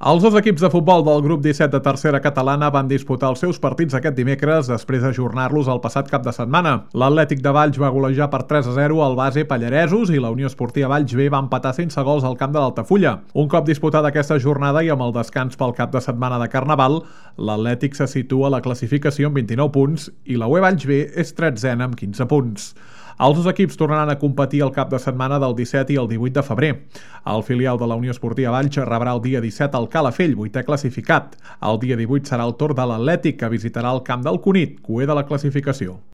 Els dos equips de futbol del grup 17 de tercera catalana van disputar els seus partits aquest dimecres després d'ajornar-los el passat cap de setmana. L'Atlètic de Valls va golejar per 3-0 al base Pallaresos i la Unió Esportiva Valls B va empatar sense gols al camp de l'Altafulla. Un cop disputada aquesta jornada i amb el descans pel cap de setmana de Carnaval, l'Atlètic se situa a la classificació amb 29 punts i la UE Valls B és 13a amb 15 punts. Els dos equips tornaran a competir el cap de setmana del 17 i el 18 de febrer. El filial de la Unió Esportiva Valls rebrà el dia 17 al Calafell, 8è classificat. El dia 18 serà el torn de l'Atlètic, que visitarà el camp del Cunit, cuer de la classificació.